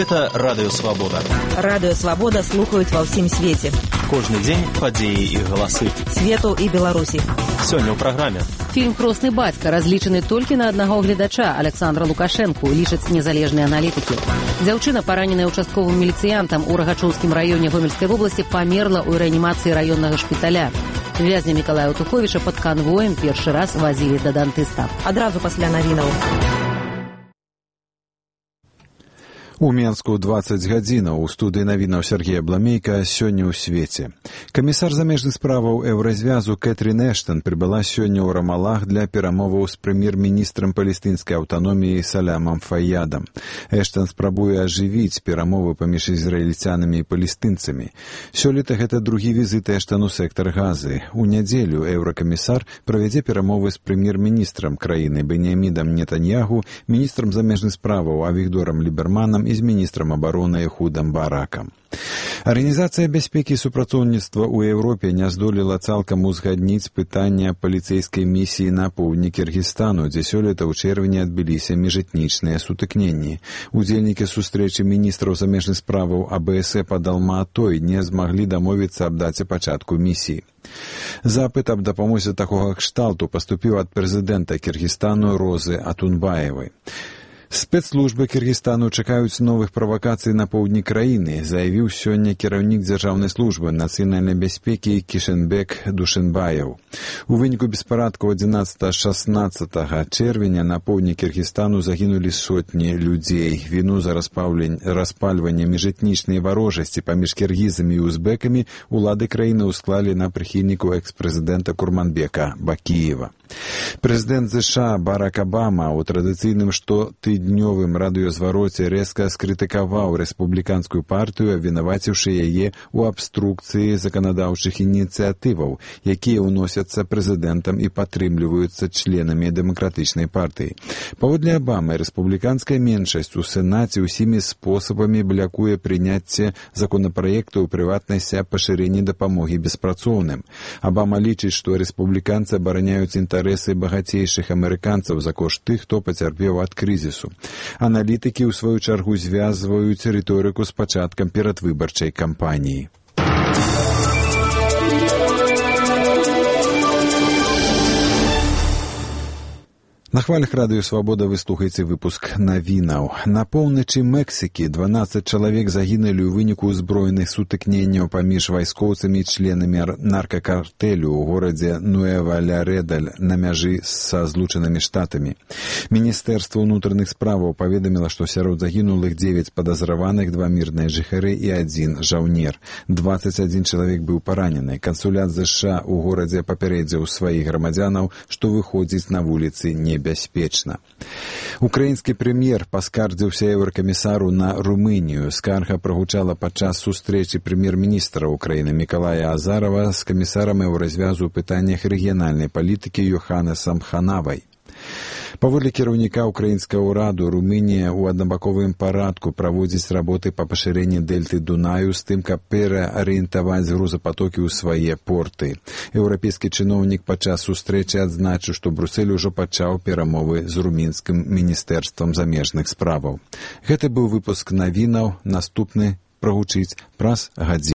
Гэта Радыё Свабода. Радыё Свабода слухаюць ва ўсім свеце. Кожны дзень падзеі і галасы. Свету і Беларусі. Сёння ў праграме. Фільм «Хросны бацька» разлічаны толькі на аднаго гледача, Александра Лукашэнку, лічаць незалежныя аналітыкі. Дзяўчына, параненая участковым міліцыянтам у Рагачоўскім раёне Гомельскай вобласці, памерла ў рэанімацыі раённага шпіталя. Вязня Мікалая Туховіча пад канвоем першы раз вазілі да дантыста. Адразу пасля навінаў. У Менску 20 гадзінаў. У студыі навінаў Сергея Бламейка сёння ў свеце. Камісар замежных справаў Еўразвязу Кэтрін Эштон прыбыла сёння ў Рамалах для перамоваў з прэм'ер-міністрам палестынскай аўтаноміі Салямам Фаядам. Эштон спрабуе ажывіць перамовы паміж ізраільцянамі і палестынцамі. Сёлета гэта другі візіт Эштон у сектар Газы. У нядзелю еўракамісар правядзе перамовы з прэм'ер-міністрам краіны Беньямінам Нетаньягу, міністрам замежных справаў Авігдорам Ліберманам і з міністрам абароны Эхудам Баракам. Арганізацыя бяспекі і супрацоўніцтва ў Еўропе не здолела цалкам узгадніць пытання паліцэйскай місіі на поўдні Кіргізстану, дзе сёлета ў чэрвені адбыліся міжэтнічныя сутыкненні. Удзельнікі сустрэчы міністраў замежных справаў АБС пад Алма-Атой не змаглі дамовіцца аб даце пачатку місіі. Запыт аб дапамозе такога кшталту паступіў ад прэзідэнта Кіргізстану Розы Атунбаевай. Спецслужбы Кіргізстану чакаюць новых правакацый на поўдні краіны, заявіў сёння кіраўнік дзяржаўнай службы нацыянальнай бяспекі Кішэнбек Душэнбаеў. У выніку беспарадкаў 11-16 чэрвеня на поўдні Кіргізстану загінулі сотні людзей. Віну за распальванне міжэтнічнай варожасці паміж кіргізамі і узбекамі улады краіны ўсклалі на прыхільніку экс-прэзідэнта Курманбека Бакіева. Прэзідэнт США Барак Абама ў традыцыйным штотыднёвым радыёзвароце рэзка скрытыкаваў рэспубліканскую партыю, абвінаваціўшы яе ў абструкцыі заканадаўчых ініцыятываў, якія ўносяцца прэзідэнтам і падтрымліваюцца членамі дэмакратычнай партыі. Паводле Абамы, рэспубліканская меншасць у Сенаце ўсімі спосабамі блякуе прыняцце законапраекту, у прыватнасці пашырэнні дапамогі беспрацоўным. Абама лічыць, што рэспубліканцы абараняюць інтарэсы багацейшых амерыканцаў за кошт тых, хто пацярпеў ад крызісу. Аналітыкі, ў сваю чаргу, звязваюць рыторыку з пачаткам перадвыбарчай кампаніі. На хвалях Радыё Свабода вы слухаеце выпуск навінаў. На поўначы Мексікі 12 чалавек загінулі ў выніку ўзброеных сутыкненняў паміж вайскоўцамі і членамі наркакартэлю ў горадзе Нуэва-Лярედаль на мяжы са Злучанымі Штатамі. Міністэрства ўнутраных справаў паведаміла, што сярод загінулых 9 падазраваных, 2 мірныя жыхары і 1 жаўнер. 21 чалавек быў паранены. Кансулят США ў горадзе папярэдзіў сваіх грамадзянаў, што выходзіць на вуліцы небяспечна. Украінскі прэм'ер паскардзіўся еўракамісару на Румынію. Скарга прагучала падчас сустрэчы прэм'ер-міністра Украіны Мікалая Азарова з камісарам еўразвязу ў пытаннях рэгіянальнай палітыкі Йоханнесам Ханавай. Паводле кіраўніка украінскага ўраду, Румынія ў аднабаковым парадку праводзіць работы па пашырэнні дэльты Дунаю з тым, каб пераарыентаваць грузапатокі ў свае порты. Еўрапейскі чыноўнік падчас сустрэчы адзначыў, што Брусэль ужо пачаў перамовы з румынскім міністэрствам замежных справаў. Гэта быў выпуск навінаў, наступны прагучыць праз гадзіну.